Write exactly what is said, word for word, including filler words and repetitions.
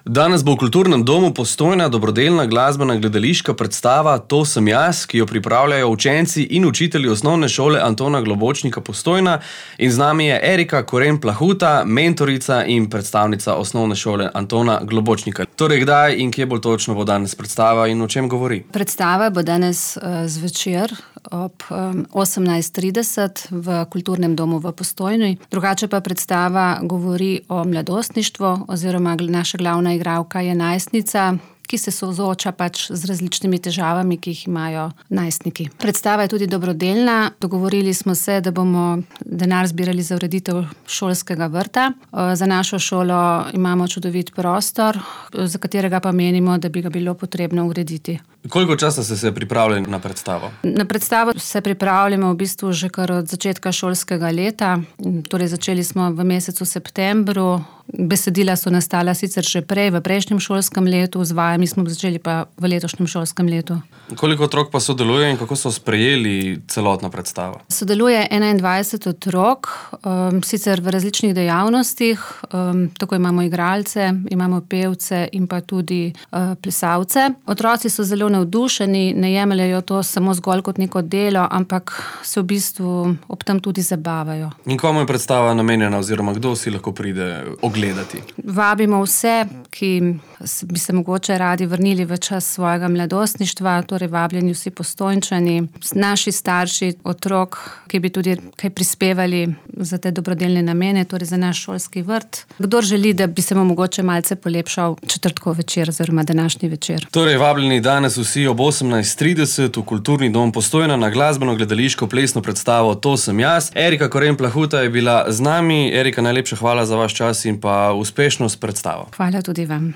Danes bo v Kulturnem domu Postojna dobrodelna glasbena gledališka predstava To sem jaz, ki jo pripravljajo učenci in učitelji osnovne šole Antona Globočnika Postojna, in z nami je Erika Koren Plahuta, mentorica in predstavnica osnovne šole Antona Globočnika. Torej, kdaj in kje bolj točno bo danes predstava in o čem govori? Predstava bo danes uh, zvečer ob um, osemnajst trideset v Kulturnem domu v Postojni. Drugače pa predstava govori o mladostništvu, oziroma naša glavna igralka je najstnica, ki se sooča pač z različnimi težavami, ki jih imajo najstniki. Predstava je tudi dobrodelna. Dogovorili smo se, da bomo denar zbirali za ureditev šolskega vrta. Za našo šolo imamo čudovit prostor, za katerega pa menimo, da bi ga bilo potrebno urediti. Koliko časa ste se pripravljali na predstavo? Na predstavo se pripravljamo v bistvu že kar od začetka šolskega leta. Torej začeli smo v mesecu septembru. Besedila so nastala sicer že prej, v prejšnjem šolskem letu, z vajami smo začeli pa v letošnjem šolskem letu. Koliko otrok pa sodeluje in kako so sprejeli celotno predstavo? Sodeluje enaindvajset otrok, um, sicer v različnih dejavnostih. Um, tako imamo igralce, imamo pevce in pa tudi uh, plesalce. Otroci so zelo navdušeni, ne jemljajo to samo zgolj kot neko delo, ampak se v bistvu ob tem tudi zabavajo. In komu je predstava namenjena oziroma kdo si lahko pride ogledati? Vabimo vse, ki bi se mogoče radi vrnili v čas svojega mladostništva, torej vabljeni vsi Postojnčani, naši starši, otrok, ki bi tudi kaj prispevali za te dobrodelne namene, torej za naš šolski vrt. Kdor želi, da bi se mu mogoče malce polepšal četrtkov večer oziroma današnji večer. Torej, vabljeni danes vsi ob osemnajst trideset v Kulturni dom Postojna na glasbeno gledališko plesno predstavo To sem jaz. Erika Koren Plahuta je bila z nami. Erika, najlepša hvala za vaš čas in pa uspešnost predstavo. Hvala tudi vam.